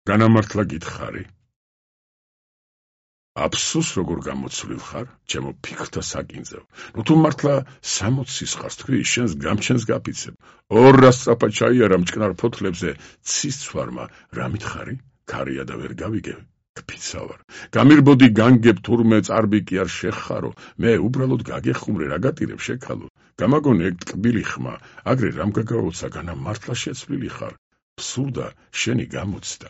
განამართლა გითხარი. აფსუს როგორ გამოცვლილ ხარ, ჩემო ფიქრთა საკინძევ. ნუ თუ მართლა 60 სისხარს თქვი, შენს გამჩენს გაფიცებ. 200 სწრაფად ჩაიარა მჭკნარ ფოთლებზე ცის ცვარმა, რა მითხარი? ქარია და ვერ გავიგებ. კფიცა ვარ. გამირბოდი განგებ თურმე წარბი კი არ შეხარო, მე უბრალოდ გაგეხუმრე რა გატირებ შექალო. გამაგონე ეგ ტკბილი ხმა, აგრე რამ გაგაოცა განა მართლა შეცვლილი ხარ. ფსურდა შენი გამოცდა.